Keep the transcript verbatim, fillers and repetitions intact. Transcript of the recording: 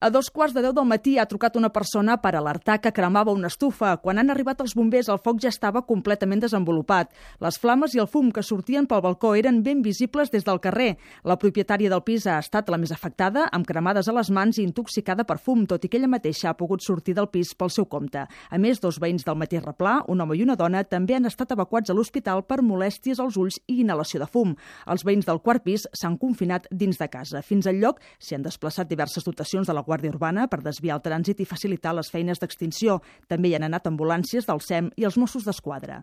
A dos quarts de deu del matí ha trucat una persona per alertar que cremava una estufa. Quan han arribat els bombers, el foc ja estava completament desenvolupat. Les flames i el fum que sortien pel balcó eren ben visibles des del carrer. La propietària del pis ha estat la més afectada, amb cremades a les mans i intoxicada per fum, tot i que ella mateixa ha pogut sortir del pis pel seu compte. A més, dos veïns del mateix replà, un home i una dona, també han estat evacuats a l'hospital per molèsties als ulls i inhalació de fum. Els veïns del quart pis s'han confinat dins de casa. Fins al lloc s'hi han desplaçat diverses dotacions de la Guàrdia Urbana per desviar el trànsit i facilitar les feines d'extinció. També hi han anat ambulàncies del S E M i els Mossos d'Esquadra.